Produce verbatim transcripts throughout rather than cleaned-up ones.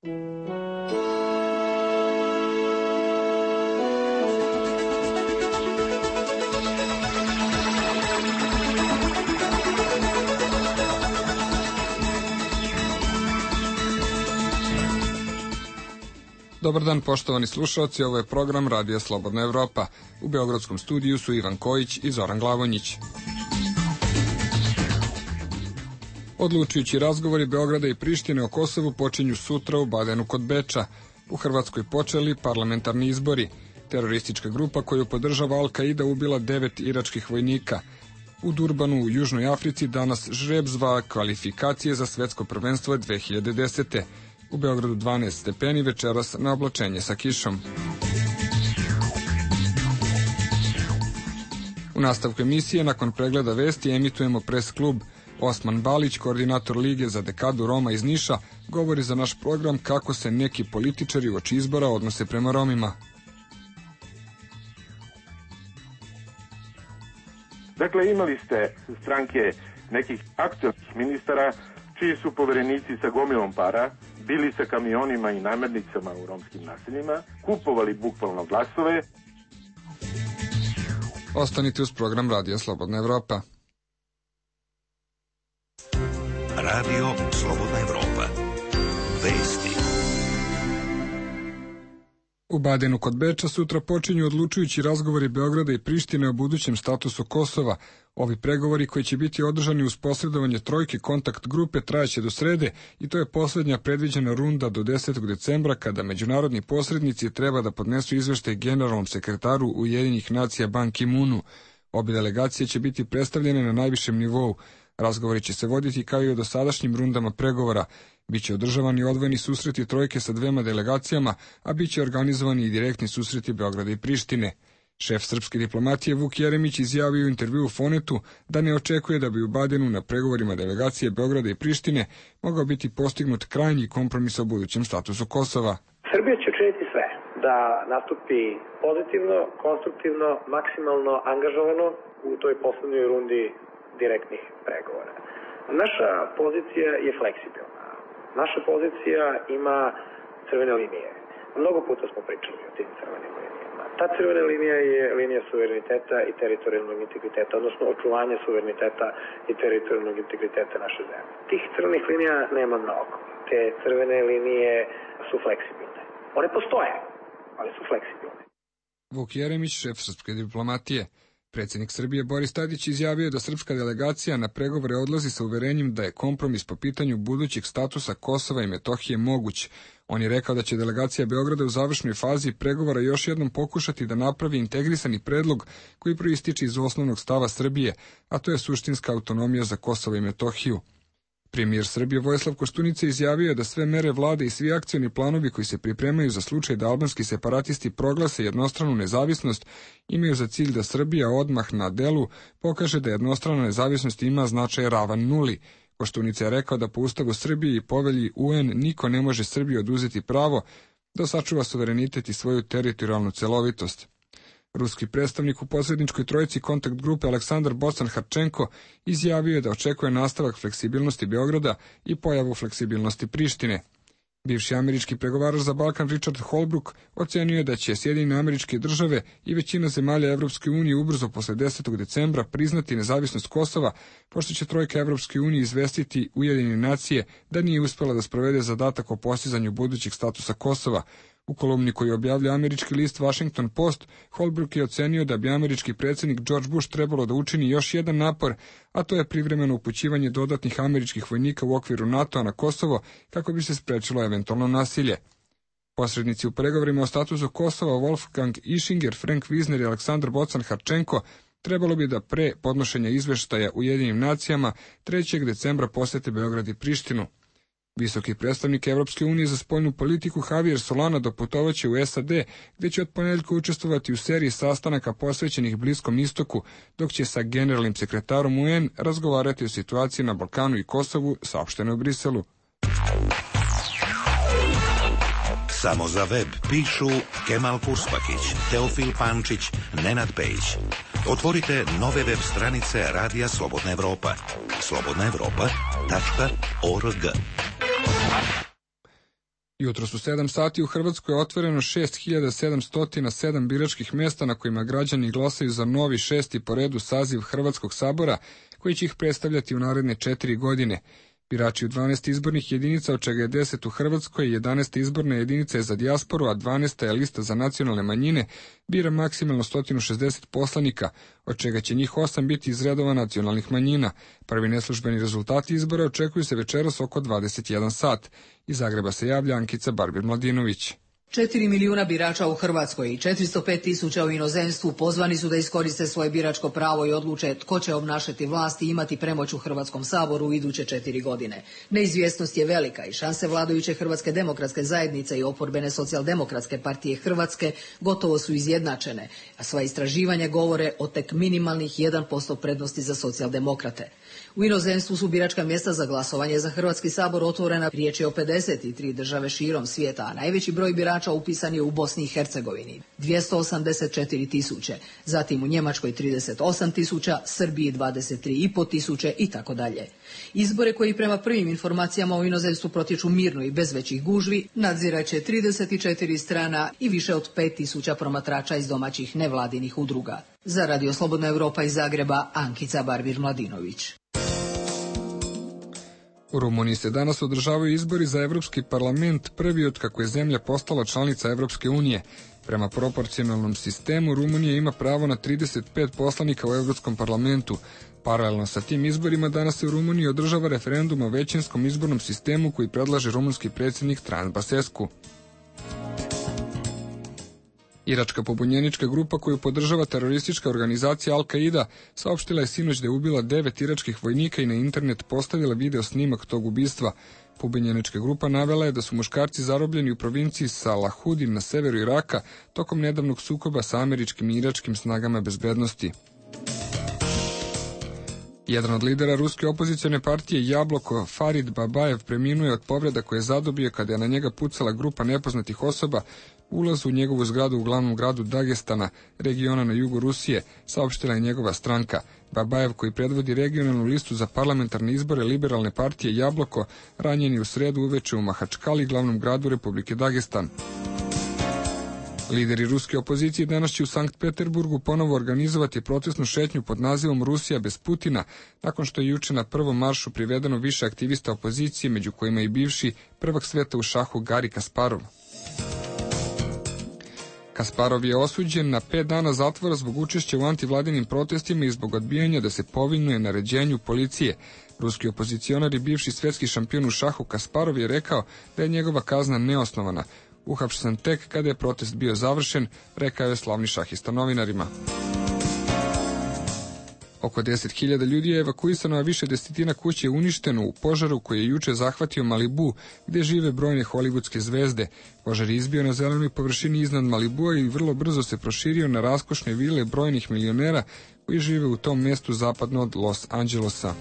Dobar dan, poštovani slušalci, ovo je program Radija Slobodna Evropa. U beogradskom studiju su Ivan Kojić i Zoran Glavonjić. Odlučujući razgovori Beograda i Prištine o Kosovu počinju sutra u Badenu kod Beča. U Hrvatskoj počeli parlamentarni izbori. Teroristička grupa koju podržava Al-Kaida ubila devet iračkih vojnika. U Durbanu u Južnoj Africi danas žreb zva kvalifikacije za svetsko prvenstvo dve hiljade desete. U Beogradu dvanaest stepeni, večeras na oblačenje sa kišom. U nastavku emisije, nakon pregleda vesti, emitujemo pres klub. Osman Balić, koordinator Lige za dekadu Roma iz Niša, govori za naš program kako se neki političari uoči izbora odnose prema Romima. Dakle, imali ste stranke nekih aktualnih ministara čiji su poverenici sa gomilom para bili sa kamionima i namirnicama u romskim naseljima, kupovali bukvalno glasove. Ostanite uz program Radija Slobodna Evropa. Radio Slobodna Evropa. Vesti. U Badenu kod Beča sutra počinju odlučujući razgovori Beograda i Prištine o budućem statusu Kosova. Ovi pregovori koji će biti održani uz posredovanje trojke kontakt grupe trajaće do srede i to je posljednja predviđena runda do desetog decembra kada međunarodni posrednici treba da podnesu izveštaj generalnom sekretaru Ujedinjenih nacija Ban Ki-moonu. Obje delegacije će biti predstavljene na najvišem nivou. Razgovori će se voditi kao i o dosadašnjim rundama pregovora. Biće održavani odvojeni susreti trojke sa dvema delegacijama, a biće organizovani i direktni susreti Beograda i Prištine. Šef srpske diplomatije Vuk Jeremić izjavio u intervju u Fonetu da ne očekuje da bi u Badenu na pregovorima delegacije Beograda i Prištine mogao biti postignut krajnji kompromis o budućem statusu Kosova. Srbija će učiniti sve da nastupi pozitivno, konstruktivno, maksimalno angažovano u toj poslednjoj rundi direktnih pregovora. Naša pozicija je fleksibilna. Naša pozicija ima crvene linije. Mnogo puta smo pričali o tim crvenim linijama. Ta crvena linija je linija suvereniteta i teritorijalnog integriteta, odnosno očuvanja suvereniteta i teritorijalnog integriteta naše zemlje. Tih crvenih linija nema mnogo. Te crvene linije su fleksibilne. One postoje, ali su fleksibilne. Vuk Jeremić, šef srpske diplomatije. Predsjednik Srbije Boris Tadić izjavio da srpska delegacija na pregovore odlazi sa uverenjem da je kompromis po pitanju budućeg statusa Kosova i Metohije moguć. On je rekao da će delegacija Beograda u završnoj fazi pregovora još jednom pokušati da napravi integrisani predlog koji proističe iz osnovnog stava Srbije, a to je suštinska autonomija za Kosovo i Metohiju. Premijer Srbije Vojislav Koštunica izjavio je da sve mere vlade i svi akcioni planovi koji se pripremaju za slučaj da albanski separatisti proglase jednostranu nezavisnost imaju za cilj da Srbija odmah na delu pokaže da jednostrana nezavisnost ima značaj ravan nuli. Koštunica je rekao da po Ustavu Srbije i povelji U N niko ne može Srbiji oduzeti pravo da sačuva suverenitet i svoju teritorijalnu celovitost. Ruski predstavnik u posredničkoj trojici kontakt grupe Aleksandar Bocan-Harčenko izjavio je da očekuje nastavak fleksibilnosti Beograda i pojavu fleksibilnosti Prištine. Bivši američki pregovarač za Balkan Richard Holbrooke ocenio je da će Sjedinjene Američke Države i većina zemalja Evropske unije ubrzo posle desetog decembra priznati nezavisnost Kosova, pošto će trojka Evropske unije izvestiti Ujedinjene nacije da nije uspela da sprovede zadatak o postizanju budućeg statusa Kosova. U kolumni koju objavlja američki list Washington Post, Holbrooke je ocenio da bi američki predsjednik George Bush trebalo da učini još jedan napor, a to je privremeno upućivanje dodatnih američkih vojnika u okviru NATO-a na Kosovo kako bi se sprečilo eventualno nasilje. Posrednici u pregovorima o statusu Kosova Wolfgang Ischinger, Frank Wisner i Aleksandar Bocan-Harčenko trebalo bi da pre podnošenja izveštaja Ujedinjenim nacijama trećeg decembra posete Beograd i Prištinu. Visoki predstavnik Evropske unije za spoljnu politiku Javier Solana doputovaće u S A D, gde će od ponedjeljka učestvovati u seriji sastanaka posvećenih Bliskom istoku, dok će sa generalnim sekretarom U N razgovarati o situaciji na Balkanu i Kosovu, saopšteno u Briselu. Samo za web pišu Kemal Kurspakić, Teofil Pančić, Nenad Pejić. Otvorite nove web stranice Radija Slobodna Evropa. slobodna evropa tačka org. Jutros u sedam sati u Hrvatskoj je otvoreno šest hiljada sedamsto sedam biračkih mjesta na kojima građani glasaju za novi šesti po redu saziv Hrvatskog sabora, koji će ih predstavljati u naredne četiri godine. Birači u dvanaest izbornih jedinica, od čega je deset u Hrvatskoj, jedanaesta izborna jedinica je za dijasporu, a dvanaesta je lista za nacionalne manjine, bira maksimalno sto šezdeset poslanika, od čega će njih osam biti iz redova nacionalnih manjina. Prvi neslužbeni rezultati izbora očekuju se večeras oko dvadeset jedan sat. Iz Zagreba se javlja Ankica Barbir-Mladinović. Četiri milijuna birača u Hrvatskoj i četiristo pet tisuća u inozemstvu pozvani su da iskoriste svoje biračko pravo i odluče tko će obnašati vlast i imati premoć u Hrvatskom saboru u iduće četiri godine. Neizvjesnost je velika i šanse vladajuće Hrvatske demokratske zajednice i oporbene socijaldemokratske partije Hrvatske gotovo su izjednačene, a sva istraživanja govore o tek minimalnih jedan posto prednosti za socijaldemokrate. U inozemstvu su biračka mjesta za glasovanje za Hrvatski sabor otvorena, riječ je o pedeset tri države širom svijeta, a najveći broj birača upisan je u Bosni i Hercegovini, dvjesto osamdeset četiri tisuće, zatim u Njemačkoj trideset osam tisuća, Srbiji dvadeset tri i pol tisuće i tako dalje. Izbore koji prema prvim informacijama u inozemstvu protječu mirno i bez većih gužvi nadziraće trideset četiri strana i više od pet tisuća promatrača iz domaćih nevladinih udruga. Za Radio Slobodna Europa iz Zagreba, Ankica Barbir-Mladinović. U Rumuniji se danas održavaju izbori za Evropski parlament, prvi od kako je zemlja postala članica Evropske unije. Prema proporcionalnom sistemu, Rumunija ima pravo na trideset pet poslanika u Evropskom parlamentu. Paralelno sa tim izborima danas se u Rumuniji održava referendum o većinskom izbornom sistemu koji predlaže rumunski predsjednik Traian Basescu. Iračka pobunjenička grupa koju podržava teroristička organizacija Al-Qaida saopštila je sinoć da je ubila devet iračkih vojnika i na internet postavila video snimak tog ubistva. Pobunjenička grupa navela je da su muškarci zarobljeni u provinciji Salahudin na severu Iraka tokom nedavnog sukoba sa američkim i iračkim snagama bezbednosti. Jedan od lidera ruske opozicione partije Jabloko, Farid Babajev, preminuo je od povreda koje je zadobio kada je na njega pucala grupa nepoznatih osoba ulazu u njegovu zgradu u glavnom gradu Dagestana, regiona na jugu Rusije, saopštila je njegova stranka. Babajev, koji predvodi regionalnu listu za parlamentarne izbore liberalne partije Jabloko, ranjen je u sredu uveče u Mahačkali, glavnom gradu Republike Dagestan. Lideri ruske opozicije danas će u Sankt Peterburgu ponovo organizovati protestnu šetnju pod nazivom Rusija bez Putina, nakon što je juče na prvom maršu privedeno više aktivista opozicije, među kojima i bivši prvak sveta u šahu Gari Kasparov. Kasparov je osuđen na pet dana zatvora zbog učešća u antivladinim protestima i zbog odbijanja da se povinuje naređenju policije. Ruski opozicionar i bivši svetski šampion u šahu Kasparov je rekao da je njegova kazna neosnovana. Uhapšen tek kada je protest bio završen, rekao je slavni šahista novinarima. Oko deset hiljada ljudi je evakuisano, a više desetina kuće je uništeno u požaru koji je juče zahvatio Malibu, gde žive brojne hollywoodske zvezde. Požar je izbio na zelenoj površini iznad Malibua i vrlo brzo se proširio na raskošne vile brojnih milionera koji žive u tom mjestu zapadno od Los Angelosa.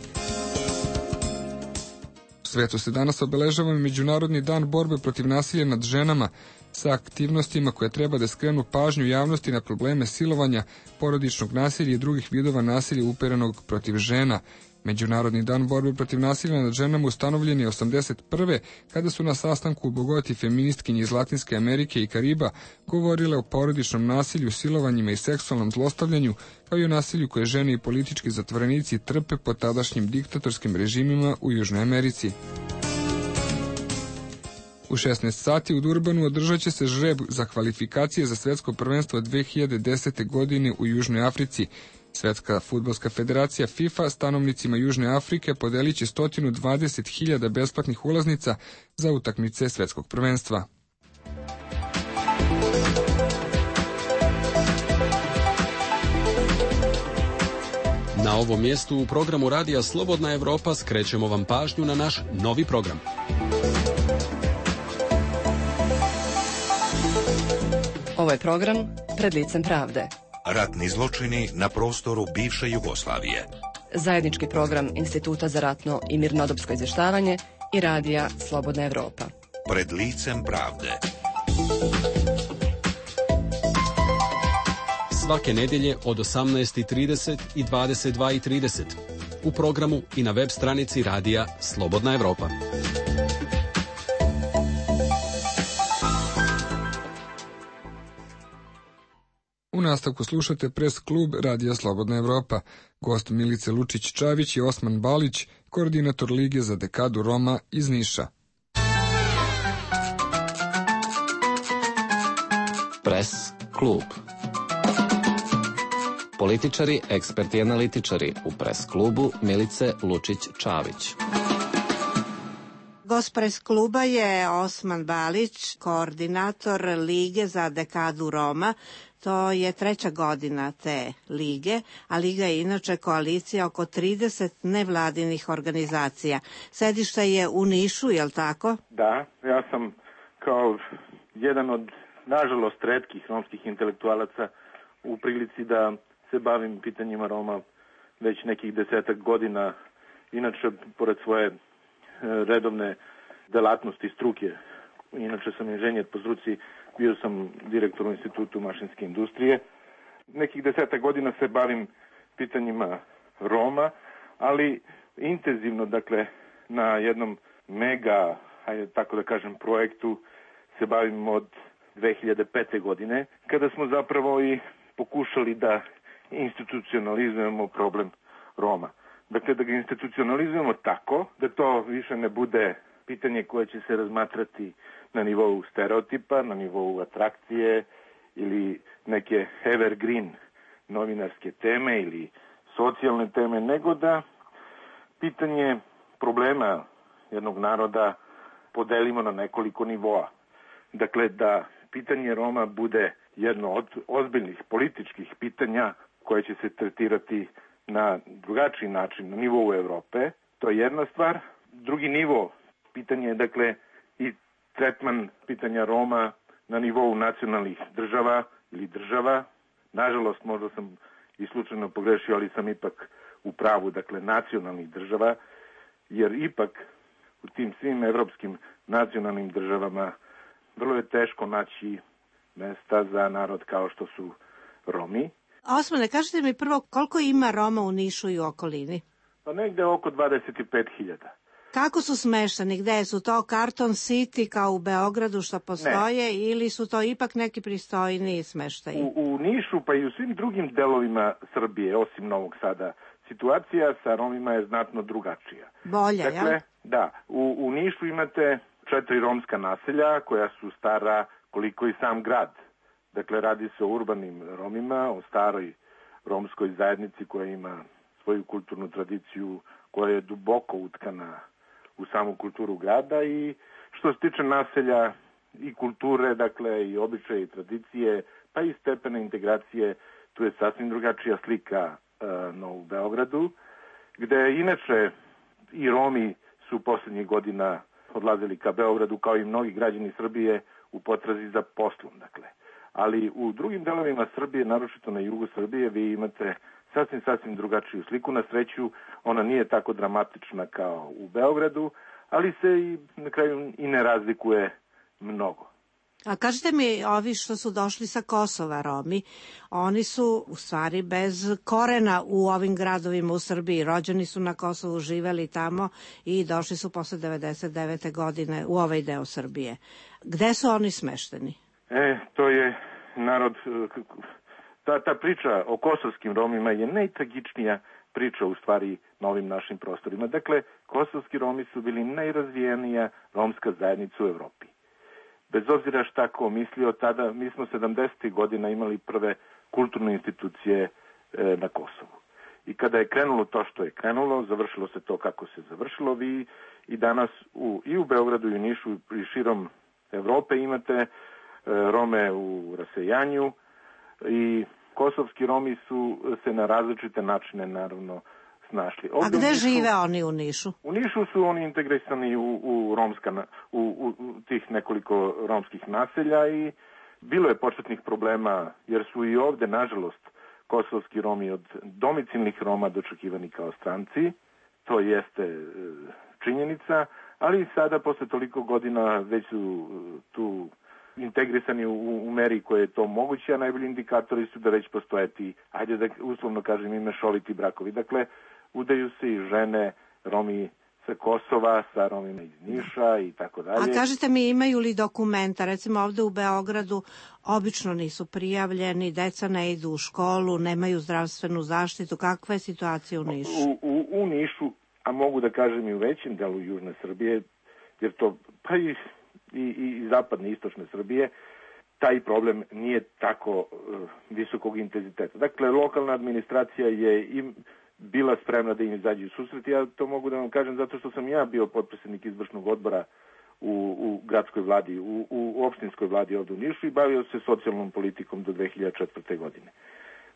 U svetu se danas obeležava Međunarodni dan borbe protiv nasilja nad ženama, sa aktivnostima koje treba da skrenu pažnju javnosti na probleme silovanja, porodičnog nasilja i drugih vidova nasilja uperenog protiv žena. Međunarodni dan borbe protiv nasilja nad ženama ustanovljen je osamdeset prve kada su na sastanku u Bogoti feministkinje iz Latinske Amerike i Kariba govorile o porodičnom nasilju, silovanjima i seksualnom zlostavljanju, kao i o nasilju koje žene i politički zatvorenici trpe pod tadašnjim diktatorskim režimima u Južnoj Americi. U šesnaest sati u Durbanu održat će se žreb za kvalifikacije za svetsko prvenstvo dve hiljade desete. godine u Južnoj Africi. Svetska fudbalska federacija FIFA stanovnicima Južne Afrike podelit će sto dvadeset hiljada besplatnih ulaznica za utakmice svetskog prvenstva. Na ovom mjestu u programu Radija Slobodna Evropa skrećemo vam pažnju na naš novi program. Ovo je program Pred licem pravde. Ratni zločini na prostoru bivše Jugoslavije. Zajednički program Instituta za ratno i mirnodopsko izvještavanje i Radija Slobodna Evropa. Pred licem pravde. Svake nedjelje od osamnaest i trideset i dvadeset dva i trideset. U programu i na web stranici Radija Slobodna Evropa. nastavku slušate Pres klub Radija Slobodna Evropa. Gost Milice Lučić-Čavić je Osman Balić, koordinator Lige za dekadu Roma iz Niša. Pres klub. Političari, eksperti i analitičari u Pres klubu Milice Lučić-Čavić. Gost Pres kluba je Osman Balić, koordinator Lige za dekadu Roma. To je treća godina te lige, a liga je inače koalicija oko trideset nevladinih organizacija. Sedište je u Nišu, je li tako? Da, ja sam kao jedan od, nažalost, retkih romskih intelektualaca u prilici da se bavim pitanjima Roma već nekih desetak godina. Inače, pored svoje redovne delatnosti struke, inače sam inženjer po struci, bio sam direktor u Institutu mašinske industrije. Nekih desetak godina se bavim pitanjima Roma, ali intenzivno, dakle, na jednom mega, hajde tako da kažem, projektu se bavim od dve hiljade pete. godine, kada smo zapravo i pokušali da institucionalizujemo problem Roma. Dakle, da ga institucionalizujemo tako da to više ne bude pitanje koje će se razmatrati na nivou stereotipa, na nivou atrakcije ili neke evergreen novinarske teme ili socijalne teme, nego da pitanje problema jednog naroda podelimo na nekoliko nivoa. Dakle, da pitanje Roma bude jedno od ozbiljnih političkih pitanja koje će se tretirati na drugačiji način na nivou Evrope. To je jedna stvar. Drugi nivo pitanje je, dakle, i tretman pitanja Roma na nivou nacionalnih država ili država. Nažalost, možda sam i slučajno pogrešio, ali sam ipak u pravu, dakle, nacionalnih država, jer ipak u tim svim evropskim nacionalnim državama vrlo je teško naći mesta za narod kao što su Romi. Osmane, kažete mi prvo koliko ima Roma u Nišu i u okolini? Pa negde oko dvadeset pet hiljada. Kako su smešteni? Gde su to Karton City kao u Beogradu što postoje, ne, ili su to ipak neki pristojniji smeštaji? U, u Nišu pa i u svim drugim delovima Srbije, osim Novog Sada, situacija sa Romima je znatno drugačija. Bolja, dakle, jel? Da, u, u Nišu imate četiri romska naselja koja su stara koliko i sam grad. Dakle, radi se o urbanim Romima, o staroj romskoj zajednici koja ima svoju kulturnu tradiciju, koja je duboko utkana u samu kulturu grada i što se tiče naselja i kulture, dakle, i običaje i tradicije, pa i stepene integracije, tu je sasvim drugačija slika e, no u Beogradu, gde inače i Romi su poslednjih godina odlazili ka Beogradu, kao i mnogi građani Srbije, u potrazi za poslom, dakle. Ali u drugim delovima Srbije, naročito na jugu Srbije, vi imate sasvim, sasvim drugačiju sliku. Na sreću, ona nije tako dramatična kao u Beogradu, ali se i na kraju i ne razlikuje mnogo. A kažete mi, ovi što su došli sa Kosova, Romi, oni su u stvari bez korena u ovim gradovima u Srbiji. Rođeni su na Kosovu, živeli tamo i došli su posle devedeset devete. godine u ovaj deo Srbije. Gde su oni smešteni? E, to je narod, ta, ta priča o kosovskim Romima je najtragičnija priča u stvari na ovim našim prostorima. Dakle, kosovski Romi su bili najrazvijenija romska zajednica u Evropi. Bez obzira šta ko mislio, tada mi smo sedamdesetih godina imali prve kulturne institucije e, na Kosovu. I kada je krenulo to što je krenulo, završilo se to kako se završilo, vi i danas u, i u Beogradu i u Nišu i širom Evrope imate Rome u rasejanju i kosovski Romi su se na različite načine naravno snašli. Ovdje A gde Nišu, žive oni u Nišu? U Nišu su oni integrisani u, u, romska, u, u, u tih nekoliko romskih naselja i bilo je početnih problema jer su i ovde, nažalost, kosovski Romi od domicilnih Roma dočekivani kao stranci. To jeste činjenica, ali sada posle toliko godina već su tu integrisani u, u meri koje je to moguće, a najbolji indikatori su da već postoje ti, ajde da uslovno kažem, i mešoviti brakovi. Dakle, udaju se i žene, Romi sa Kosova, sa Romima iz Niša i tako dalje. A kažete mi, imaju li dokumenta, recimo ovde u Beogradu, obično nisu prijavljeni, deca ne idu u školu, nemaju zdravstvenu zaštitu. Kakva je situacija u Nišu? U, u, u Nišu, a mogu da kažem i u većem delu južne Srbije, jer to pa i, i, i zapadne i istočne Srbije, taj problem nije tako uh, visokog intenziteta. Dakle, lokalna administracija je im bila spremna da im izađe u susret. Ja to mogu da vam kažem zato što sam ja bio potpredsednik izvršnog odbora u, u gradskoj vladi, u, u opštinskoj vladi ovde u Nišu i bavio se socijalnom politikom do dve hiljade četvrte. godine.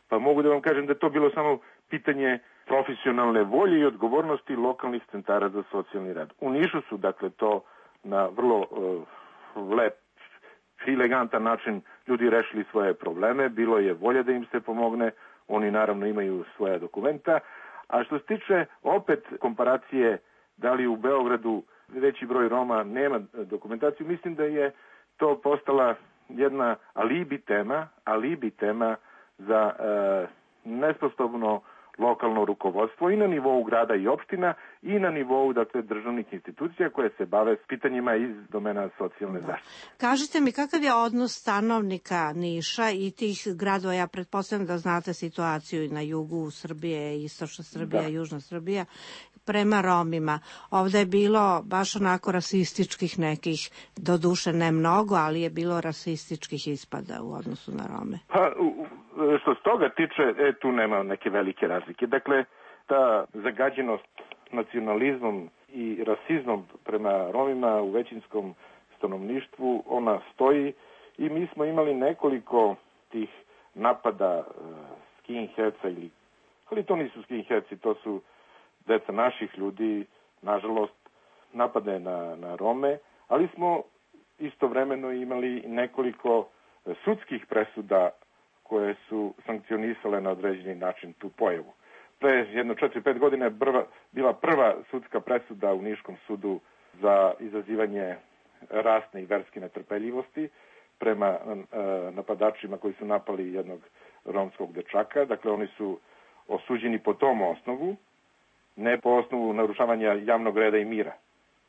Pa mogu da vam kažem da je to bilo samo pitanje profesionalne volje i odgovornosti lokalnih centara za socijalni rad. U Nišu su, dakle, to na vrlo uh, lep, elegantan način ljudi rešili svoje probleme, bilo je volja da im se pomogne, oni naravno imaju svoja dokumenta, a što se tiče opet komparacije da li u Beogradu veći broj Roma nema dokumentaciju, mislim da je to postala jedna alibi tema, alibi tema za e, nesposobno lokalno rukovodstvo i na nivou grada i opština i na nivou, dakle, državnih institucija koje se bave s pitanjima iz domena socijalne zaštite. Kažite mi, kakav je odnos stanovnika Niša i tih gradova? Ja pretpostavljam da znate situaciju i na jugu Srbije, istočna Srbija, da. Južna Srbija, prema Romima. Ovde je bilo baš onako rasističkih nekih, do duše ne mnogo, ali je bilo rasističkih ispada u odnosu na Rome. Pa, što se toga tiče, e, tu nema neke velike razlike. Dakle, ta zagađenost nacionalizmom i rasizmom prema Romima u većinskom stanovništvu, ona stoji i mi smo imali nekoliko tih napada uh, skinheadsa, ili, ali to nisu skinheadsi, to su deca naših ljudi, nažalost, napade na, na Rome, ali smo istovremeno imali nekoliko sudskih presuda koje su sankcionisale na određeni način tu pojavu. Pre jedno četiri pet godina je prva, bila prva sudska presuda u Niškom sudu za izazivanje rasne i verske netrpeljivosti prema e, napadačima koji su napali jednog romskog dečaka. Dakle, oni su osuđeni po tom osnovu, ne po osnovu narušavanja javnog reda i mira.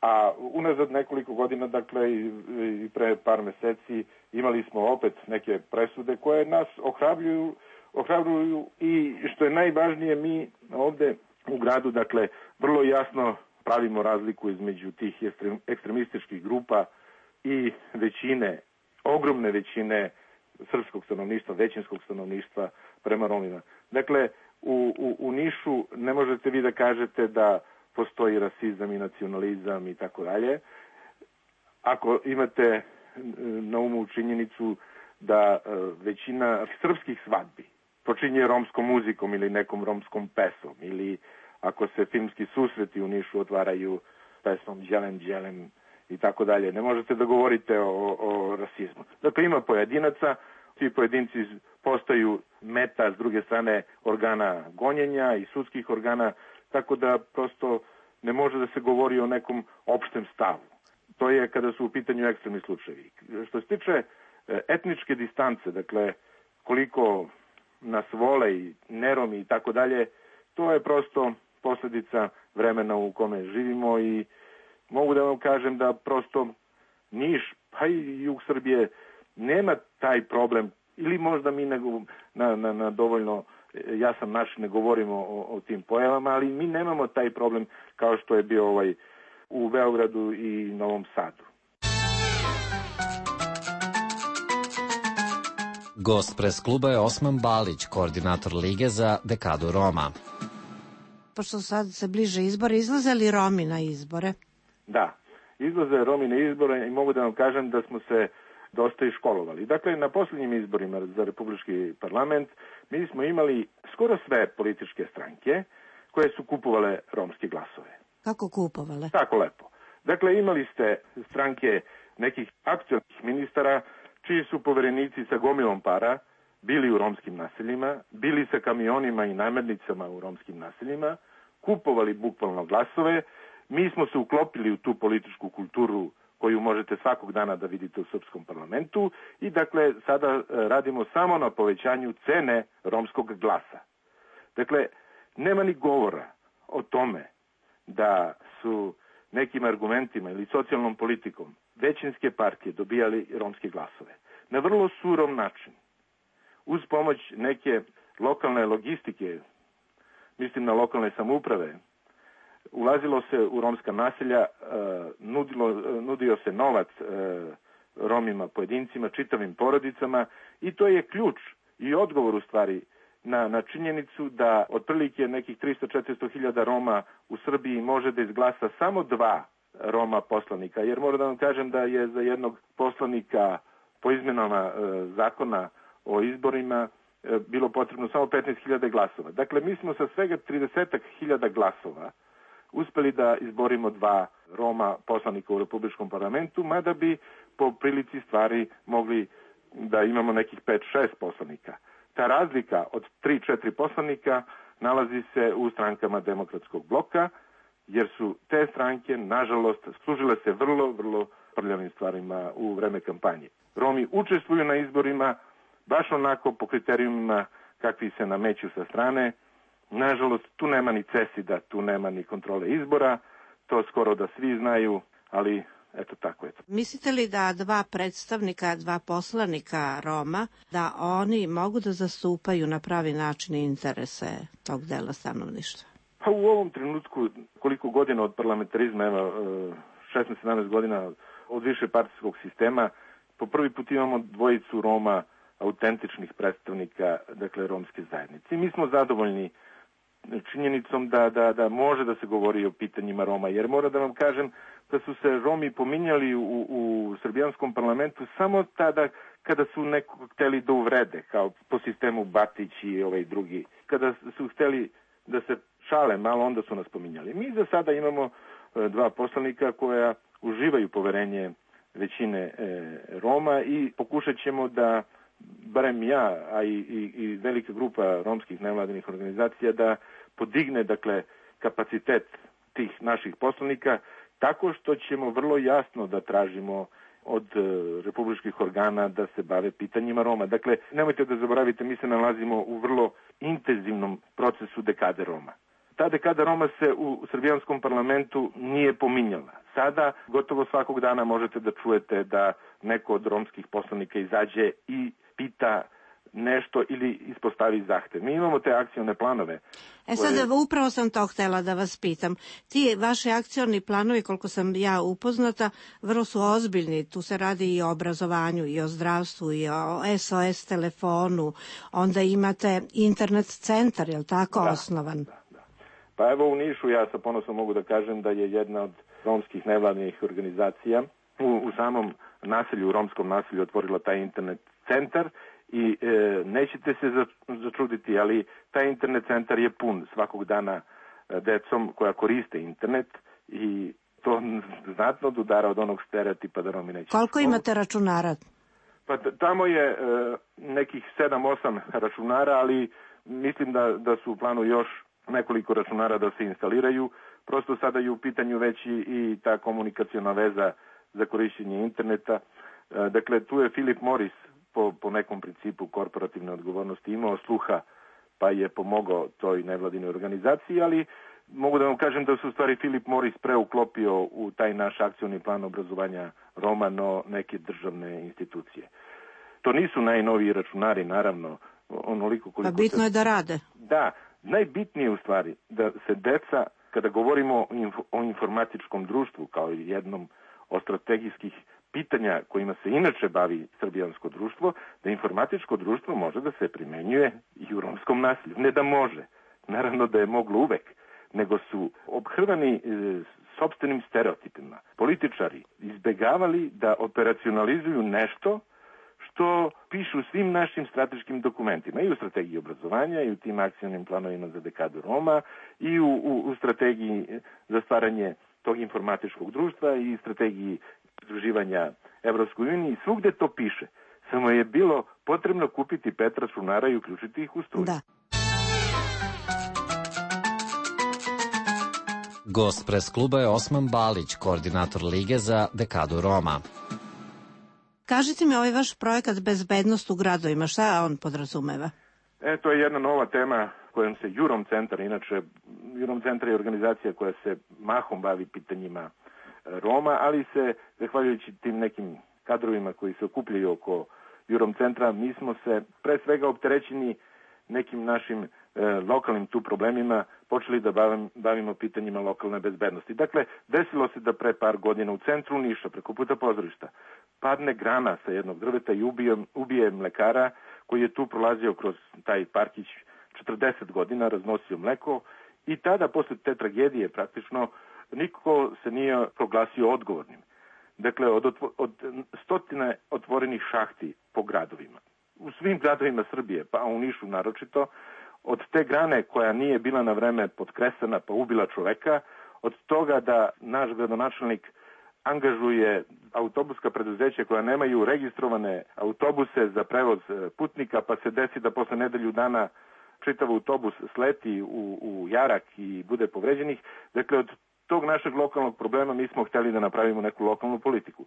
A unazad nekoliko godina, dakle, i pre par meseci, imali smo opet neke presude koje nas ohrabruju, ohrabruju i, što je najvažnije, mi ovde u gradu, dakle, vrlo jasno pravimo razliku između tih ekstremističkih grupa i većine, ogromne većine srpskog stanovništva, većinskog stanovništva prema Romima. Dakle, u, u, u Nišu ne možete vi da kažete da postoji rasizam i nacionalizam i tako dalje. Ako imate na umu činjenicu da većina srpskih svadbi počinje romskom muzikom ili nekom romskom pesom, ili ako se filmski susreti u Nišu otvaraju pesmom Đelem, Đelem i tako dalje, ne možete da govorite o, o rasizmu. Dakle, ima pojedinaca, ti pojedinci postaju meta s druge strane organa gonjenja i sudskih organa, tako da prosto ne može da se govori o nekom opštem stavu. To je kada su u pitanju ekstremni slučajevi. Što se tiče etničke distance, dakle, koliko nas vole i neromi i tako dalje, to je prosto posledica vremena u kome živimo i mogu da vam kažem da prosto Niš, pa i jug Srbije, nema taj problem, ili možda mi nego, na, na, na dovoljno jasan način ne govorimo o, o tim pojavama, ali mi nemamo taj problem kao što je bio ovaj u Beogradu i Novom Sadu. Gost pres kluba je Osman Balić, koordinator Lige za dekadu Roma. Pošto sad se bliže izbore, izlaze li Romi na izbore? Da, izlaze Romi na izbore i mogu da vam kažem da smo se dosta i školovali. Dakle, na posljednjim izborima za Republički parlament mi smo imali skoro sve političke stranke koje su kupovale romske glasove. Kako kupovale? Tako lepo. Dakle, imali ste stranke nekih aktuelnih ministara čiji su poverenici sa gomilom para bili u romskim naseljima, bili sa kamionima i namirnicama u romskim naseljima, kupovali bukvalno glasove. Mi smo se uklopili u tu političku kulturu koju možete svakog dana da vidite u srpskom parlamentu i dakle sada radimo samo na povećanju cene romskog glasa. Dakle, nema ni govora o tome da su nekim argumentima ili socijalnom politikom većinske partije dobijali romske glasove. na vrlo surov način. Uz pomoć neke lokalne logistike, mislim na lokalne samouprave, ulazilo se u romska naselja, nudilo, nudio se novac Romima, pojedincima, čitavim porodicama i to je ključ i odgovor u stvari na, na činjenicu da otprilike nekih tristo do četiristo hiljada Roma u Srbiji može da izglasa samo dva Roma poslanika, jer moram da vam kažem da je za jednog poslanika po izmenama e, zakona o izborima e, bilo potrebno samo petnaest hiljada glasova. Dakle, mi smo sa svega trideset hiljada glasova uspeli da izborimo dva Roma poslanika u Republičkom parlamentu, mada bi po prilici stvari mogli da imamo nekih pet šest poslanika. Ta razlika od tri četiri poslanika nalazi se u strankama Demokratskog bloka, jer su te stranke, nažalost, služile se vrlo, vrlo prljavim stvarima u vreme kampanje. Romi učestvuju na izborima baš onako po kriterijumima kakvi se nameću sa strane. Nažalost, tu nema ni cesida, tu nema ni kontrole izbora, to skoro da svi znaju, ali eto tako je to. Mislite li da dva predstavnika, dva poslanika Roma, da oni mogu da zastupaju na pravi način interese tog dela stanovništva? Pa u ovom trenutku, koliko godina od parlamentarizma, evo, šesnaest sedamnaest godina od više partijskog sistema, po prvi put imamo dvojicu Roma, autentičnih predstavnika, dakle, romske zajednice. I mi smo zadovoljni činjenicom da, da, da može da se govori o pitanjima Roma, jer moram da vam kažem da su se Romi pominjali u, u srbijanskom parlamentu samo tada kada su nekog hteli da uvrede, kao po sistemu Batić i ovaj drugi. Kada su hteli da se šale malo, onda su nas pominjali. Mi za sada imamo e, dva poslanika koja uživaju poverenje većine e, Roma i pokušat ćemo da, barem ja, a i, i, i velika grupa romskih nevladinih organizacija, da podigne, dakle, kapacitet tih naših poslanika tako što ćemo vrlo jasno da tražimo od e, republičkih organa da se bave pitanjima Roma. Dakle, nemojte da zaboravite, mi se nalazimo u vrlo intenzivnom procesu dekade Roma. Ta dekada Roma se u, u srbijanskom parlamentu nije pominjala. Sada gotovo svakog dana možete da čujete da neko od romskih poslanika izađe i pita nešto ili ispostavi zahtev. Mi imamo te akcione planove. E sad, koje... upravo sam to htela da vas pitam. Ti vaši akcioni planovi, koliko sam ja upoznata, vrlo su ozbiljni. Tu se radi i o obrazovanju, i o zdravstvu, i o S O S telefonu. Onda imate internet centar, je li tako, da, osnovan? Da, da. Pa evo u Nišu ja sa ponosom mogu da kažem da je jedna od romskih nevladnih organizacija u, u samom naselju, u romskom naselju otvorila taj internet centar. I e, nećete se začuditi, ali taj internet centar je pun svakog dana decom koja koriste internet i to znatno odudara od onog stereotipa da Romi neće. Koliko imate računara? Pa tamo je e, nekih sedam osam računara, ali mislim da, da su u planu još nekoliko računara da se instaliraju. Prosto sada je u pitanju već i, i ta komunikaciona veza za korišćenje interneta. E, dakle, tu je Philip Morris Po, po nekom principu korporativne odgovornosti imao sluha, pa je pomogao toj nevladinoj organizaciji, ali mogu da vam kažem da su u stvari Philip Morris preuklopio u taj naš akcioni plan obrazovanja Roma, no neke državne institucije. To nisu najnoviji računari, naravno, onoliko koliko... Pa bitno se... je da rade. Da, najbitnije u stvari da se deca, kada govorimo o, inf... o informatičkom društvu kao jednom od strategijskih pitanja kojima se inače bavi srbijansko društvo, da informatičko društvo može da se primenjuje i u romskom naselju. Ne da može, naravno da je moglo uvek, nego su obhrvani e, sopstvenim stereotipima. Političari izbegavali da operacionalizuju nešto što pišu u svim našim strateškim dokumentima, i u strategiji obrazovanja, i u tim akcijnim planovima za dekadu Roma, i u, u, u strategiji za stvaranje tog informatičkog društva i strategiji pridruživanja Evropskoj uniji. Svugde to piše. Samo je bilo potrebno kupiti pet računara i uključiti ih u struju. Da. Gost pres kluba je Osman Balić, koordinator Lige za dekadu Roma. Kažite mi, ovaj vaš projekat Bezbednost u gradovima, šta on podrazumeva? E, to je jedna nova tema kojom se Jurom centar, inače Jurom centar je organizacija koja se mahom bavi pitanjima Roma, ali se, zahvaljujući tim nekim kadrovima koji se okupljaju oko Jurom centra, mi smo se pre svega opterećeni nekim našim e, lokalnim tu problemima počeli da bavim, bavimo pitanjima lokalne bezbednosti. Dakle, desilo se da pre par godina u centru Niša, preko puta pozorišta, padne grana sa jednog drveta i ubije, ubije mlekara koji je tu prolazio kroz taj parkić četrdeset godina, raznosio mleko i tada, posle te tragedije, praktično, niko se nije proglasio odgovornim. Dakle, od, otvo, od stotine otvorenih šahti po gradovima, u svim gradovima Srbije, pa u Nišu naročito, od te grane koja nije bila na vreme potkresana pa ubila čoveka, od toga da naš gradonačelnik angažuje autobuska preduzeća koja nemaju registrovane autobuse za prevoz putnika, pa se desi da posle nedelju dana čitav autobus sleti u, u jarak i bude povređenih. Dakle, od tog našeg lokalnog problema mi smo hteli da napravimo neku lokalnu politiku.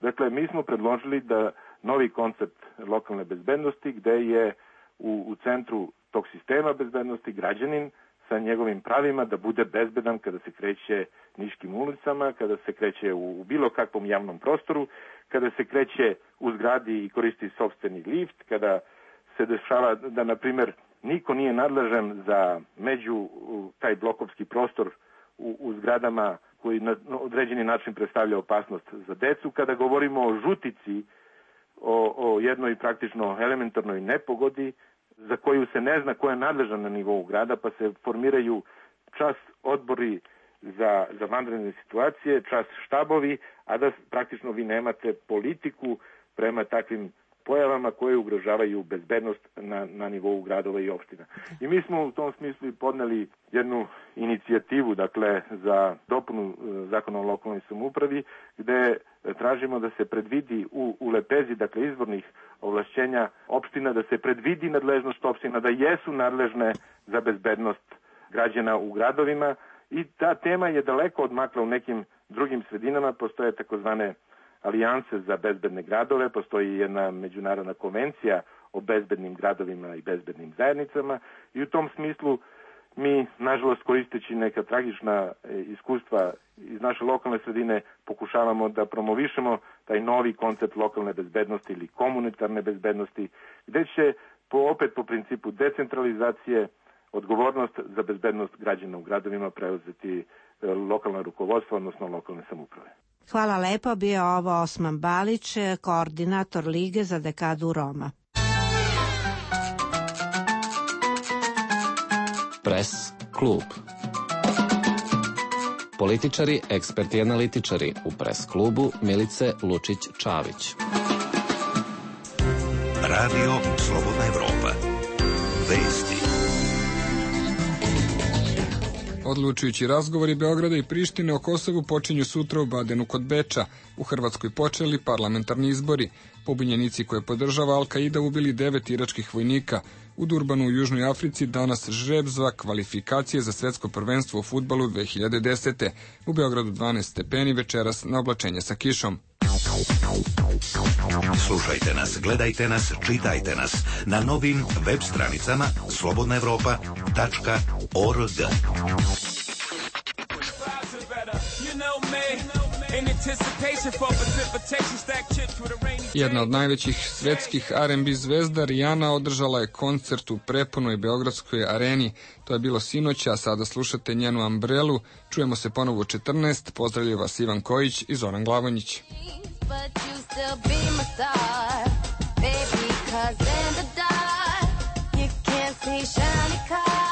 Dakle, mi smo predložili da novi koncept lokalne bezbednosti, gde je u, u centru tog sistema bezbednosti građanin sa njegovim pravima da bude bezbedan kada se kreće niškim ulicama, kada se kreće u, u bilo kakvom javnom prostoru, kada se kreće u zgradi i koristi sopstveni lift, kada se dešava da, na primer, niko nije nadležan za među taj blokovski prostor u, u zgradama koji na određeni način predstavlja opasnost za decu. Kada govorimo o žutici, o, o jednoj praktično elementarnoj nepogodi za koju se ne zna ko je nadležan na nivou grada, pa se formiraju čas odbori za, za vanredne situacije, čas štabovi, a da praktično vi nemate politiku prema takvim pojavama koje ugrožavaju bezbednost na, na nivou gradova i opština. I mi smo u tom smislu podneli jednu inicijativu, dakle, za dopunu zakona o lokalnoj samoupravi, gde tražimo da se predvidi u, u lepezi, dakle, izvornih ovlašćenja opština, da se predvidi nadležnost opština, da jesu nadležne za bezbednost građana u gradovima i ta tema je daleko odmakla u nekim drugim sredinama, postoje takozvane alijanse za bezbedne gradove, postoji jedna međunarodna konvencija o bezbednim gradovima i bezbednim zajednicama i u tom smislu mi, nažalost, koristeći neka tragična iskustva iz naše lokalne sredine, pokušavamo da promovišemo taj novi koncept lokalne bezbednosti ili komunitarne bezbednosti, gde će po, opet po principu decentralizacije odgovornost za bezbednost građana u gradovima preuzeti lokalna rukovodstva, odnosno lokalne samouprave. Hvala lepo, bio ovo Osman Balić, koordinator Lige za dekadu Roma. Pres klub. Političari, eksperti i analitičari u Pres klubu Milice Lučić-Čavić. Radio Slobodna Evropa. Vesti. Odlučujući razgovori Beograda i Prištine o Kosovu počinju sutra u Badenu kod Beča. U Hrvatskoj počeli parlamentarni izbori. Pobunjenici koje podržava Al-Qaida ubili devet iračkih vojnika. U Durbanu u Južnoj Africi danas žreb za kvalifikacije za svetsko prvenstvo u fudbalu dve hiljade desete. U Beogradu dvanaest stepeni, večeras na oblačenje sa kišom. Slušajte nas, gledajte nas, čitajte nas na novim web stranicama slobodna evropa tačka org. Jedna od najvećih svetskih R and B zvezda Rihanna održala je koncert u prepunoj beogradskoj areni. To je bilo sinoć, a sada slušate njenu Umbrelu. Čujemo se ponovo u četrnaest. Pozdravljaju vas Ivan Kojić i Zoran Glavonjić. But you still be my star, baby, 'cause in the dark you can't see shiny cars.